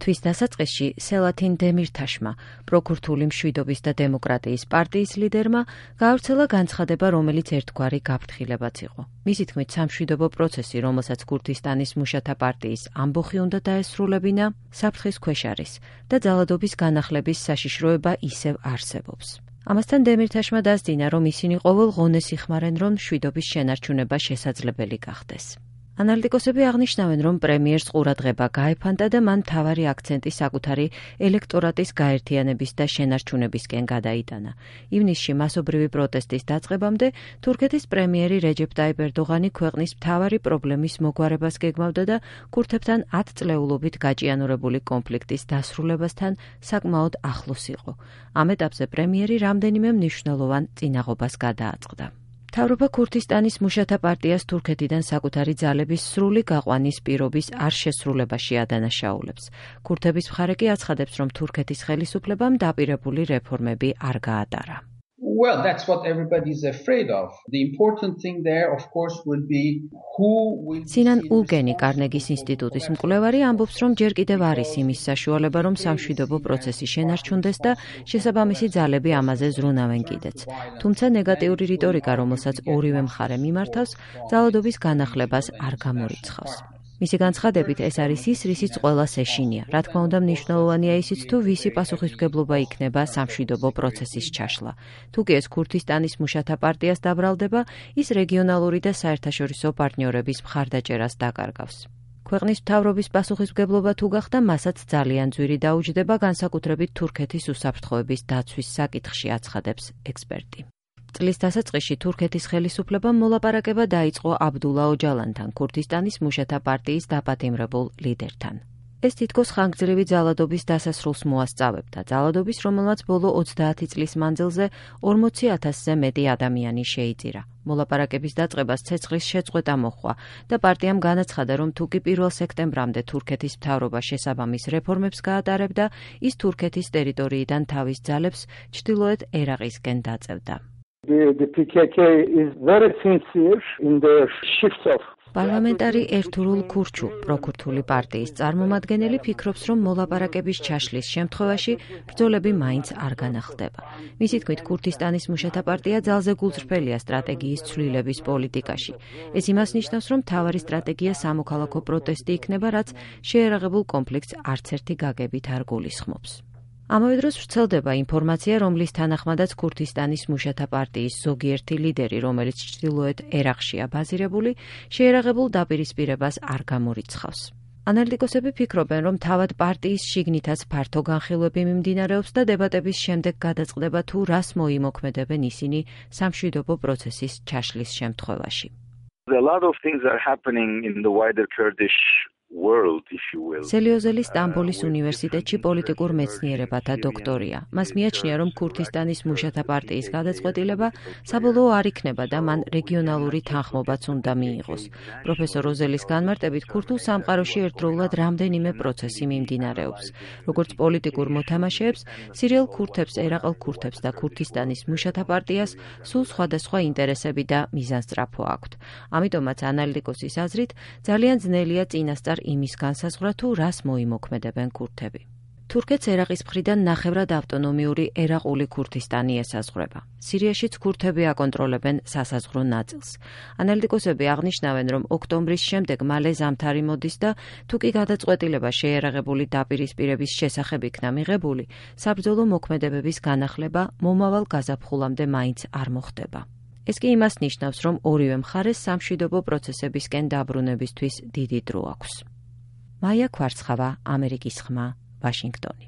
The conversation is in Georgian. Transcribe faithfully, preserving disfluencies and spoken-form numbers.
თვის დასაწყისში სელათინ დემირთაშმა, პროქურთული მშვიდობის და დემოკრატიის პარტიის ლიდერმა, გაავრცელა განცხადება, რომელიც ერთგვარი გაფრთხილებაც იყო. მისი თქმით, სამშვიდობო პროცესი, რომელსაც ქურთისტანის მუშათა პარტიის ამბოხი უნდა დაესრულებინა, საფრთხის ქვეშ არის და ძალადობის განახლების საშიშროება ისევ არსებობს. ამასთან დემირთაშმა დასძინა, რომ ისინი ყოველ ღონეს იხმარენ, რომ მშვიდობის შენარჩუნება შესაძლებელი გახდეს. ანალიტიკოსები აღნიშნავენ, რომ პრემიერს ყურადღება გაეფანტა და მან მთავარი აქცენტი საკუთარი ელექტორატის გაერთიანების და შენარჩუნებისკენ გადაიტანა. ივნისში მასობრივი პროტესტის დაწყებამდე თურქეთის პრემიერი რეჯეფ ტაიპ ერდოღანი ქვეყნის მთავარი პრობლემის მოგვარებას გეგმავდა და ქურთებთან ათწლეულობით გაჭიანურებული კონფლიქტის დასრულებასთან საკმაოდ ახლოს იყო. ამ ეტაპზე პრემიერი რამდენიმე მნიშვნელოვან წინაღობას გადააწყდა. მთავრობა ქურთისტანის მუშათა პარტიას თურქეთიდან საკუთარი ძალების სრული გაყვანის პირობის არ შესრულებაში ადანაშაულებს. ქურთების მხარე კი აცხადებს, რომ თურქეთის ხელისუფლებამ დაპირებული რეფორმები არ გაატარა. Well, that's what everybody is afraid of. The important thing there, of course, will be who will Sinan Ulgeni, კარნეგის ინსტიტუტის მკვლევარი, ამბობს, რომ ჯერ კიდევ არის იმის საშუალება, რომ სამშვიდობო პროცესი შენარჩუნდეს და შესაბამისი ძალები ამაზე ზრუნავენ კიდეც. თუმცა ნეგატიური რიტორიკა, რომელსაც ორივე მხარე მიმართავს, ძალადობის განახლებას არ გამორიცხავს. მისი განცხადებით, ეს არის ის, რისიც ყველას ეშინია. რა თქმა უნდა, მნიშვნელოვანია ისიც, თუ ვისი პასუხისმგებლობა იქნება სამშვიდობო პროცესის ჩაშლა. თუ კი ეს ქურთისტანის მუშათა პარტიას დაბრალდება, ის რეგიონალური და საერთაშორისო პარტნიორების მხარდაჭერას დაკარგავს. ქვეყნის მთავრობის პასუხისმგებლობა თუ გახდა, მასაც ძალიან ძვირი დაუჯდება, განსაკუთრებით თურქეთის უსაფრთხოების დაცვის საკითხში, აცხადებს ექსპერტი. წლის დასაწყისში თურქეთის ხელისუფლებამ მოლაპარაკება დაიწყო აბდულა ოჯალანთან, ქურთისტანის მუშათა პარტიის დაპატიმრებულ ლიდერთან. ეს თითქოს ხანგრძლივი ძალადობის დასასრულს მოასწავებდა, ძალადობის, რომელმაც ბოლო ოცდაათი წლის მანძილზე ორმოცი ათასზე მეტი ადამიანი შეიწირა. მოლაპარაკების დაწყებას ცეცხლის შეწყვეტა მოჰყვა და პარტიამ განაცხადა, რომ თუ კი პირველ სექტემბრამდე თურქეთის მთავრობა შესაბამის რეფორმებს გაატარებდა, ის თურქეთის ტერიტორიიდან თავის ძალებს ჩრდილოეთ ერაყისკენ დაწევდა. The, the P K K is very sincere in the shifts of პარლამენტარი ერთურულ ქურჩუ, პროქურთული პარტიის წარმომადგენელი ფიქრობს, რომ მოლაპარაკების ჩაშლის შემთხვევაში ბრძოლები მაინც არ განახლდება. მისი თქმით, ქურთისტანის მუშათა პარტია ძალზე გულწრფელია სტრატეგიის ცვლილების პოლიტიკაში. ეს იმას ნიშნავს, რომ მთავარი სტრატეგია სამოქალაქო პროტესტი იქნება, რაც შეერაღებულ კონფლიქტს არც ერთი გაგებით არ გულისხმობს. ამავე დროს ვრცელდება ინფორმაცია, რომლის თანახმადაც ქურთისტანის მუშათა პარტიის ზოგიერთი ლიდერი, რომელიც ჩრდილოეთ ერაყშია ბაზირებული, შეერაღებულ დაპირისპირებას არ გამორიცხავს. ანალიტიკოსები ფიქრობენ, რომ თავად პარტიის შიგნითაც ფართო განხილვები მიმდინარეობს და დებატების შემდეგ გადაწყდება, თუ რას მოიმოქმედებენ ისინი სამშვიდობო პროცესის ჩაშლის შემთხვევაში. A lot of things are happening in the wider Kurdish world, if you will. სელიოზელი სტამბოლის უნივერსიტეტში პოლიტიკურ მეცნიერებათა დოქტორია. მას მიაჩნია, რომ ქურთისტანის მუშათა პარტიის გადაწყვეტილება საბოლოო არ იქნება და მან რეგიონალური თანხმობაც უნდა მიიღოს. პროფესორ როზელის განმარტებით, ქურთულ სამყაროში ერთდროულად რამდენიმე პროცესი მიმდინარეობს. როგორც პოლიტიკურ მოთამაშეებს, სირიელ ქურთებს, ერაყელ ქურთებს და ქურთისტანის მუშათა პარტიას სულ სხვადასხვა ინტერესები და მიზანსწრაფო აქვთ. ამიტომაც ანალიტიკოსის აზრით, ძალიან ძნელია წინასწარ იმის განსაზღვრა, თუ რას მოიმოქმედებენ ქურთები. თურქეთს ერაყის მხრიდან ნახევრად ავტონომიური ერაყული ქურთისტანი ესაზღვრება. სირიაშიც ქურთები აკონტროლებენ სასაზღვრო ნაწილს. ანალიტიკოსები აღნიშნავენ, რომ ოქტომბრის შემდეგ მალე ზამთარი მოდის და თუ კი გადაწყვეტილება შეერაღებული დაპირისპირების შესახებ იქნა მიღებული, საბრძოლო მოქმედებების განახლება მომავალ გაზაფხულამდე მაინც არ მოხდება. ეს კი იმას ნიშნავს, რომ ორივე მხარეს სამშვიდობო პროცესებისკენ დაბრუნებისთვის დიდი დრო აქვს. მაია ქვარცხავა, ამერიკის ხმა, ვაშინგტონი.